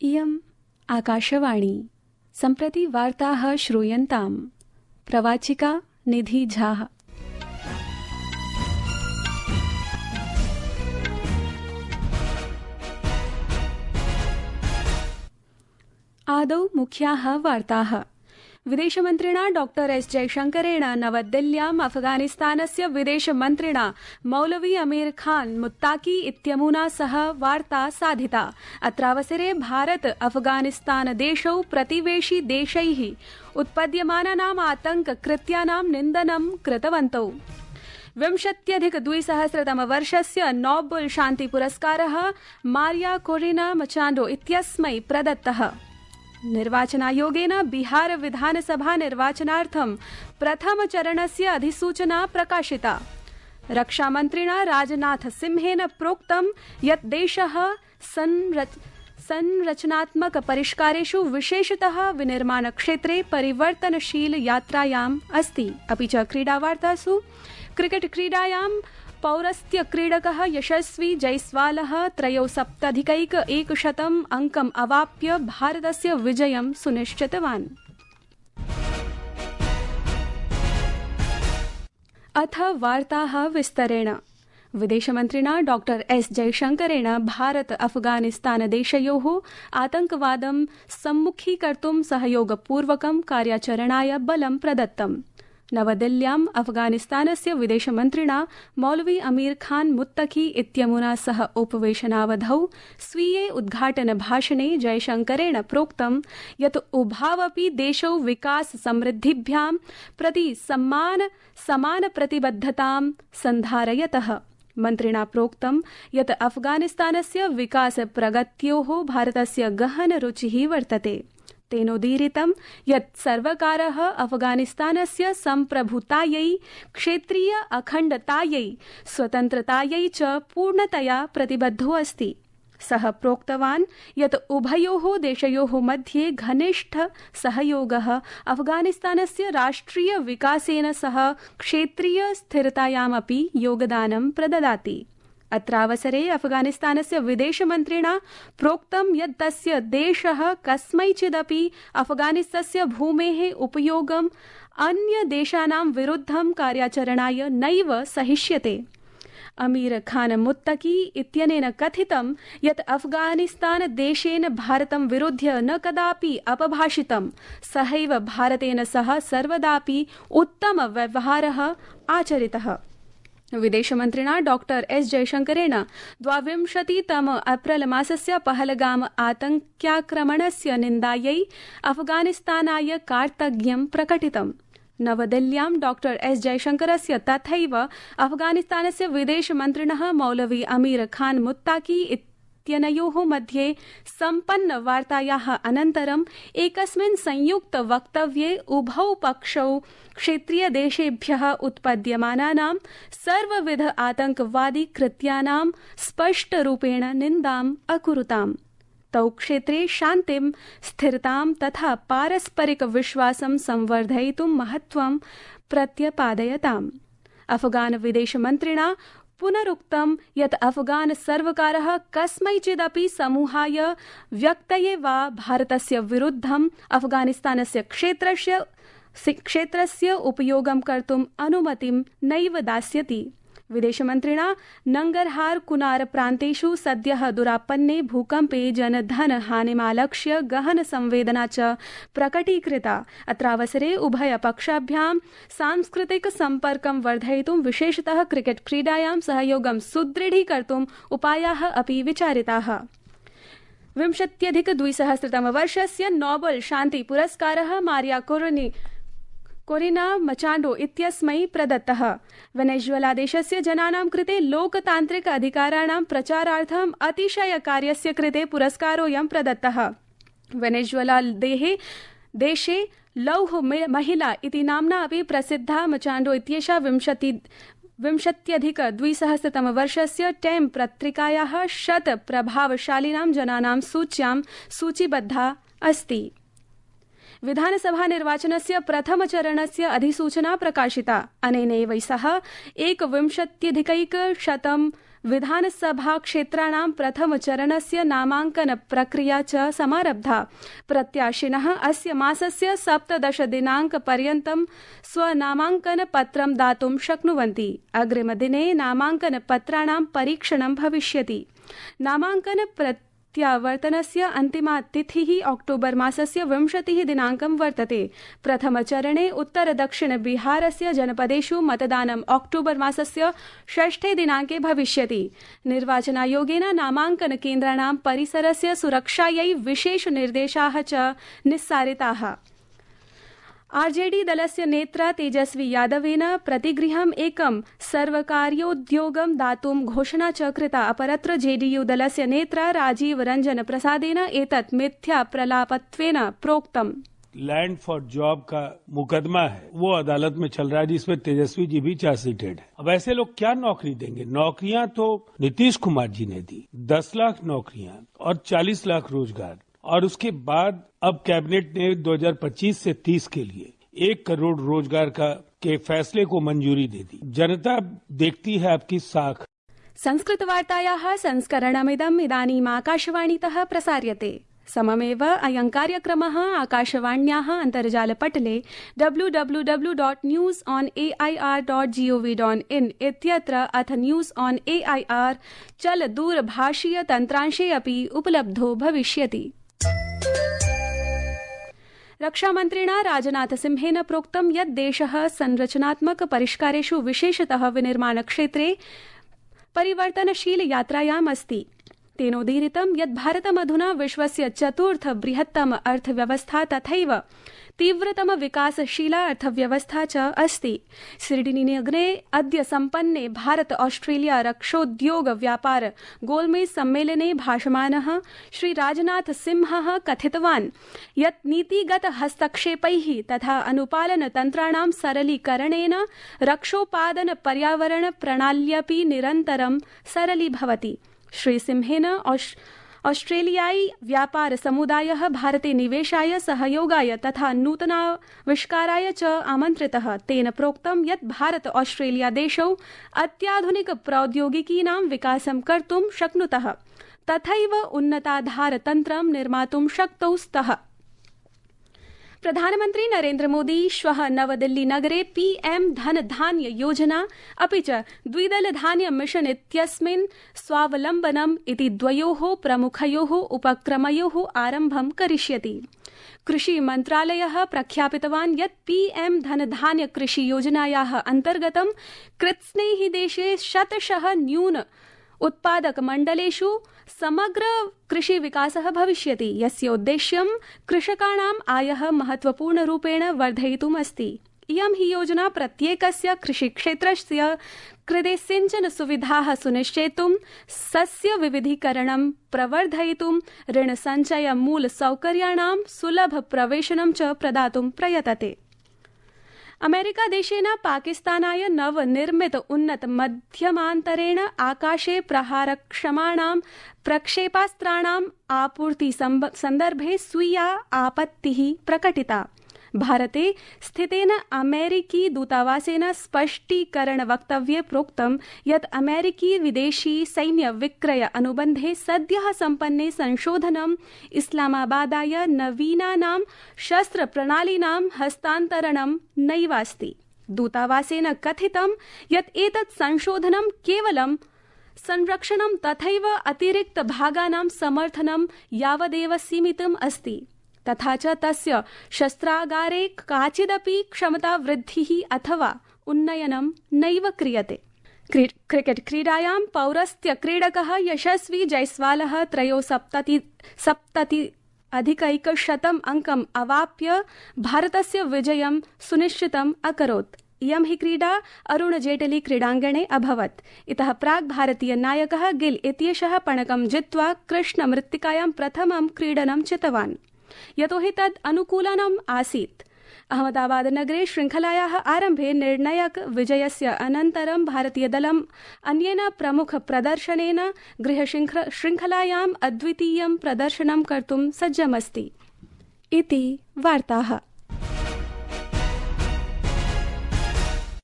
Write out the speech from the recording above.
इयम् आकाशवाणी सम्प्रति वार्ताः श्रूयन्ताम्। प्रवाचिका निधि झा। आदौ मुख्याः वार्ताः। विदेशमन्त्रिणा डॉ एस जयशंकरेण नवदिल्ल्याम् अफगानिस्तानस्य विदेशमन्त्रिणा मौलवी अमीर खान मुत्ताकी इत्यमुना सह वार्ता साधिता। अत्रावसरे भारत अफगानिस्तान देशौ प्रतिवेशी देशैः उत्पद्यमानानाम् आतंककृत्यानां निन्दनं कृतवन्तौ। 20+200 नोबेल शान्ति पुरस्कारः मारिया कोरिना मचाण्डो इत्यस्मै प्रदत्तः। निर्वाचनायोगेन बिहार विधानसभा निर्वाचनार्थं प्रथमचरणस्य अधिसूचना प्रकाशिता। रक्षामन्त्रिणा राजनाथ सिंहेन प्रोक्तं यत् देशः संरचनात्मक परिष्कारेषु विशेषतः विनिर्माणक्षेत्रे परिवर्तनशील यात्रायाम् अस्ति। अपि च क्रीडावार्तासु क्रिकेट क्रीडायां पौरस्त्य क्रीडकः यशस्वी जयस्वालः 73+100 अंकम् अवाप्य भारतस्य विजयं सुनिश्चितवान्। अथ वार्ताः विस्तरेण। विदेशमन्त्रिणा डॉ एस जयशंकरेण भारत अफगानिस्तान देशयोः आतंकवादं सम्मुखीकर्तुं सहयोगपूर्वकं कार्याचरणाय बलं प्रदत्तम्। नवदिल्ल्याम् अफगानिस्तानस्य विदेशमन्त्रिणा मौलवी अमीर खान मुत्तकी इत्यमुना सह उपवेशनावधौ स्वीये उद्घाटनभाषणे जयशंकरेण प्रोक्तं यत् उभावपि देशौ विकास समृद्धिभ्यां प्रति समानप्रतिबद्धतां सन्धारयतः। मन्त्रिणा प्रोक्तं यत् अफगानिस्तानस्य विकास प्रगत्योः भारतस्य गहन रुचिः वर्तते। तेनोदीरितं यत् सर्वकारः अफगानिस्तानस्य सम्प्रभुतायै, क्षेत्रीय अखण्डतायै, स्वतन्त्रतायै च पूर्णतया प्रतिबद्धो अस्ति। सः प्रोक्तवान् यत् उभयोः देशयोः मध्ये घनिष्ठ सहयोगः अफगानिस्तानस्य राष्ट्रिय विकासेन सह क्षेत्रीय स्थिरतायामपि योगदानं प्रददाति। अत्रावसरे अफगानिस्तानस्य विदेशमन्त्रिणा प्रोक्तं यत् तस्य देशः कस्मैचिदपि अफगानिस्तस्य भूमेः उपयोगम् अन्य देशानां विरुद्धं कार्याचरणाय नैव सहिष्यते। अमीर खान मुत्तकी इत्यनेन कथितं यत् अफगानिस्तान देशेन भारतं विरुध्य न कदापि अपभाषितं। सहैव भारतेन सह सर्वदापि उत्तम व्यवहारः आचरितः। विदेशमन्त्रिणा डॉ एस जयशंकरेण 22 एप्रिल मासस्य पहलगाम आतंक्याक्रमणस्य निन्दायै अफगानिस्तानाय कार्तज्ञं प्रकटितम्। नवदिल्ल्यां डॉ एस जयशंकरस्य तथैव अफगानिस्तानस्य विदेशमन्त्रिणः मौलवी अमीर खान मुत्ताकी इत्यनयोः मध्ये सम्पन्न वार्तायाः अनन्तरम् एकस्मिन् संयुक्त वक्तव्ये उभौ पक्षौ क्षेत्रीय देशेभ्यः उत्पद्यमानानां सर्वविध आतंकवादी कृत्यानां स्पष्टरूपेण निन्दाम् अकुरुताम्। तौ क्षेत्रे शान्तिं, स्थिरतां तथा पारस्परिक विश्वासं संवर्धयितुं महत्त्वं प्रत्यपादयताम्। अफगान विदेशमन्त्रिणा पुनरुक्तं यत् अफगान सर्वकारः कस्मैचिदपि समूहाय, व्यक्तये वा भारतस्य विरुद्धं अफगानिस्तानस्य क्षेत्रस्य उपयोगं कर्तुम् अनुमतिं नैव दास्यति। विदेशमन्त्रिणा नंगरहार कुनार प्रान्तेषु सद्यः दुरापन्ने भूकम्पे जनधन हानिमालक्ष्य गहन संवेदना च प्रकटीकृता। अत्रावसरे उभयपक्षाभ्यां सांस्कृतिक सम्पर्कं वर्धयितुं विशेषतः क्रिकेट क्रीडायां सहयोगं सुदृढीकर्तुम् उपायाः अपि विचारिताः। 20+200 नोबेल शान्ति पुरस्कारः मारिया कोरिना मचाण्डो इत्यस्मै प्रदत्तः। वेनेजुएला देशस्य जनानां कृते लोकतान्त्रिक अधिकाराणां प्रचारार्थम् अतिशयकार्यस्य कृते पुरस्कारोऽयं प्रदत्तः। वेनेजुएला देशे लौह महिला इति नाम्ना अपि प्रसिद्धा मचाण्डो इत्येषा 20+200 टाइम पत्रिकायाः 100 प्रभावशालिनां जनानां सूच्यां सूचीबद्धा अस्ति। विधानसभा निर्वाचनस्य प्रथमचरणस्य अधिसूचना प्रकाशिता। अनेनैव सह 21+100 विधानसभा क्षेत्राणां प्रथमचरणस्य नामाङ्कन प्रक्रिया च समारब्धा। प्रत्याशिनः अस्य मासस्य 17 दिनाङ्कपर्यन्तं स्वनामाङ्कन पत्रं दातुं शक्नुवन्ति। अग्रिमदिने नामाङ्कन पत्राणां परीक्षणं भविष्यति। नामाङ्कन प्रत्यावर्तनस्य अन्तिमा तिथिः अक्टोबर मासस्य 20 दिनाङ्कं वर्तते। प्रथमचरणे उत्तर दक्षिण बिहारस्य जनपदेषु मतदानं अक्टोबर मासस्य 6 दिनाङ्के भविष्यति। निर्वाचनायोगेन नामाङ्कन केन्द्राणां परिसरस्य सुरक्षायै विशेष निर्देशाः च निस्सारिताः। आरजेडी दलस्य नेत्रा तेजस्वी यादवेन प्रतिगृहम् एकं सर्वकार्योद्योगं दातुं घोषणा च कृता। अपरत्र जेडीयू दलस्य नेत्रा राजीव रंजन प्रसादेन एतत् मिथ्या प्रलापत्वेन प्रोक्तम्। लैंड फॉर जॉब का मुकदमा है, वो अदालत में चल रहा है, जिसमें तेजस्वी जी भी चार्जशीटेड है। अब ऐसे लोग क्या नौकरी देंगे? नौकरियां तो नीतीश कुमार जी ने दी, 10 लाख नौकरियां और 40 लाख रोजगार, और उसके बाद अब कैबिनेट ने 2025 से 30 के लिए 1 करोड़ रोजगार के फैसले को मंजूरी दे दी। जनता देखती है आपकी साख। संस्कृतवार्तायाः संस्करणमिदम् इदानीम् आकाशवाणीतः प्रसार्यते। सममेव अयं कार्यक्रमः आकाशवाण्याः अन्तर्जालपटले www.newsonair.gov.in इत्यत्र अथ न्यूज ऑन एआईआर चल दूरभाषीय तन्त्रांशे अपि उपलब्धो भविष्यति। रक्षामन्त्रिणा राजनाथसिंहेन प्रोक्तं यत् देशः संरचनात्मक परिष्कारेषु विशेषतः विनिर्माणक्षेत्रे परिवर्तनशील यात्रायाम् अस्ति। तेनोदीरितं यत् भारतमधुना विश्वस्य 4th बृहत्तम अर्थव्यवस्था तथैव तीव्रतम विकासशीला अर्थव्यवस्था च अस्ति। सिडनीनगरे अद्य सम्पन्ने भारत ऑस्ट्रेलिया रक्षोद्योग व्यापार गोलमेज सम्मेलने भाषमाणः श्री राजनाथ सिंहः कथितवान् यत् नीतिगत हस्तक्षेपैः तथा अनुपालन तन्त्राणां सरलीकरणेन रक्षोपादन पर्यावरण प्रणाल्यपि निरन्तरं सरलीभवति। श्री सिंहेन ऑस्ट्रेलियाई व्यापार समुदायः भारते निवेशाय सहयोगाय तथा नूतनाविष्काराय च आमन्त्रितः। तेन प्रोक्तं यत् भारत ऑस्ट्रेलिया देशौ अत्याधुनिक प्रौद्योगिकीनां विकासं कर्तुं शक्नुतः तथैव उन्नताधारतन्त्रं निर्मातुं शक्तौ स्तः। प्रधानमन्त्री नरेन्द्र मोदी श्वः नवदिल्ली नगरे पीएम धन धान्य योजना अपि च द्विदल धान्य मिशन इत्यस्मिन् स्वावलम्बनम् इति द्वयोः प्रमुखयोः उपक्रमयोः आरम्भं करिष्यति। कृषि मन्त्रालयः प्रख्यापितवान् यत् पीएम धन धान्य कृषि योजनायाः अन्तर्गतं कृत्स्नैः देशे 100% न्यून उत्पादक मण्डलेषु समग्र कृषि विकासः भविष्यति, यस्य उद्देश्यं कृषकाणाम् आयः महत्वपूर्णरूपेण वर्धयितुम् अस्ति। इयं हि योजना प्रत्येकस्य कृषिक्षेत्रस्य कृते सिंचन सुविधाः सुनिश्चेतुं, सस्य विविधीकरणं प्रवर्धयितुं, ऋणसञ्चय मूल सौकर्याणां सुलभ प्रवेशनं च प्रदातुं प्रयतते। अमेरिका देशेन पाकिस्तानाय नवनिर्मित उन्नत मध्यमान्तरेण आकाशे प्रहारक्षमाणां प्रक्षेपास्त्राणाम् आपूर्ति सन्दर्भे स्वीया आपत्तिः प्रकटिता। भारते स्थितेन अमेरिकी दूतावासेन स्पष्टीकरणवक्तव्ये प्रोक्तं यत् अमेरिकी विदेशी सैन्य विक्रय अनुबन्धे सद्यः सम्पन्ने संशोधनम् इस्लामाबादाय नवीनानां शस्त्रप्रणालीनां हस्तान्तरणं नैवास्ति। दूतावासेन कथितं यत् एतत् संशोधनं केवलं संरक्षणं तथैव अतिरिक्त भागानां समर्थनं यावदेव सीमितम् अस्ति, तथा च तस्य शस्त्रागारे काचिदपि क्षमता वृद्धिः अथवा उन्नयनं नैव क्रियते। क्रिकेट क्रीडायां पौरस्त्य क्रीडकः यशस्वी जयस्वालः 73 अंकम् अवाप्य भारतस्य विजयं सुनिश्चितम् अकरोत्। इयं हि क्रीडा अरुण जेटली क्रीडाङ्गणे अभवत्। इतः प्राक् भारतीय नायकः गिल इत्येषः पणकं जित्वा कृष्णमृत्तिकायां प्रथमं क्रीडनं चितवान्, यतोहि तद् अनुकूलनम् आसीत्। अहमदाबाद नगरे श्रृंखलायाः आरम्भे निर्णायक विजयस्य अनन्तरं भारतीयदलम् अन्येन प्रमुख प्रदर्शनेन गृहश्रृंखलायाम् अद्वितीयं प्रदर्शनं कर्तुं सज्जमस्ति। इति वार्ताः।